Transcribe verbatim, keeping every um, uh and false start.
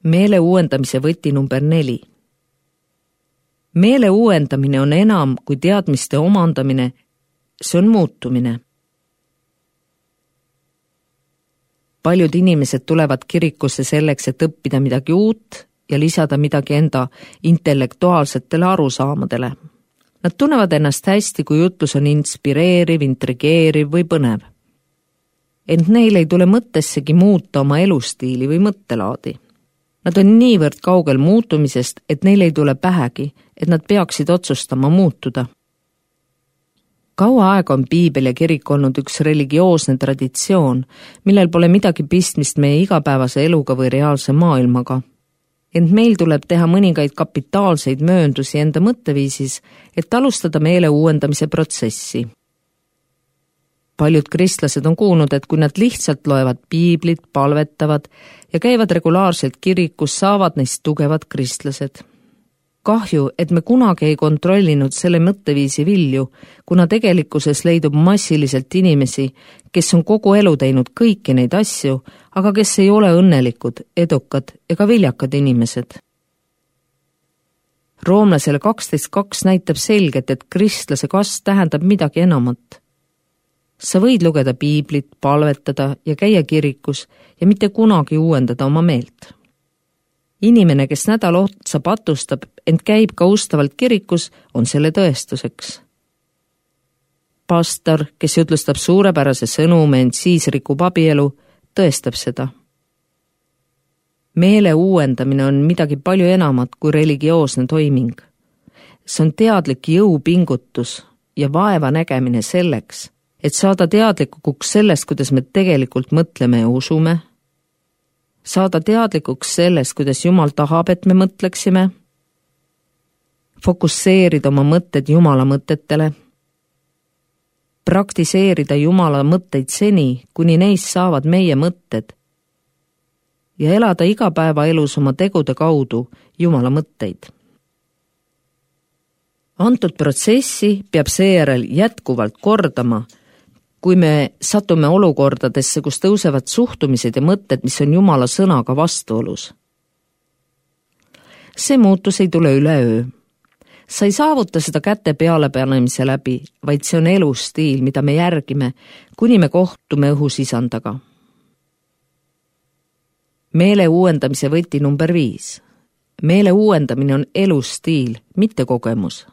meele uuendamise võti number neli. Meele uuendamine on enam kui teadmiste omandamine, see on muutumine. Paljud inimesed tulevad kirikusse selleks, et õppida midagi uut ja lisada midagi enda intellektuaalsetele arusaamadele. Nad tunnevad ennast hästi, kui jutlus on inspireeriv, intrigeeriv või põnev. Ent neil ei tule mõttessegi muuta oma elustiili või mõttelaadi. Nad on niivõrd kaugel muutumisest, et neil ei tule pähegi, et nad peaksid otsustama muutuda. Kaua aega on piibel ja kirik olnud üks religioosne traditsioon, millel pole midagi pistmist meie igapäevase eluga või reaalse maailmaga. Ent meil tuleb teha mõningaid kapitaalseid mööndusi enda mõtteviisis, et alustada meele uuendamise protsessi. Paljud kristlased on kuulnud, et kui nad lihtsalt loevad piiblit, palvetavad ja käivad regulaarselt kirikus, saavad neist tugevad kristlased. Kahju, et me kunagi ei kontrollinud selle mõtteviisi vilju, kuna tegelikkuses leidub massiliselt inimesi, kes on kogu elu teinud kõiki neid asju, aga kes ei ole õnnelikud, edukad ega viljakad inimesed. Roomlasele kaksteist kaks näitab selgelt, et kristlase kasv tähendab midagi enamat. Sa võid lugeda piiblit, palvetada ja käia kirikus ja mitte kunagi uuendada oma meelt. Inimene, kes nädal otsa patustab, ent käib ka ustavalt kirikus, on selle tõestuseks. Pastor, kes jutlustab suurepärase sõnume, ent siis rikub abielu, tõestab seda. Meele uuendamine on midagi palju enamat kui religioosne toiming. See on teadlik jõupingutus ja vaeva nägemine selleks, et saada teadlikuks sellest, kuidas me tegelikult mõtleme ja usume, saada teadlikuks sellest, kuidas Jumal tahab, et me mõtleksime, fokusseerida oma mõtted Jumala mõtetele, praktiseerida Jumala mõtteid seni, kuni neist saavad meie mõtted ja elada igapäevaelus oma tegude kaudu Jumala mõtteid. Antud protsessi peab seejärel jätkuvalt kordama, kui me satume olukordadesse, kus tõusevad suhtumised ja mõtted, mis on Jumala sõnaga vastuolus. See muutus ei tule üleöö. Sa ei saavuta seda käte pealepanemise läbi, vaid see on elustiil, mida me järgime, kuni me kohtume õhusisandaga. Meele uuendamise võti number viis. Meele uuendamine on elustiil, mitte kogemus.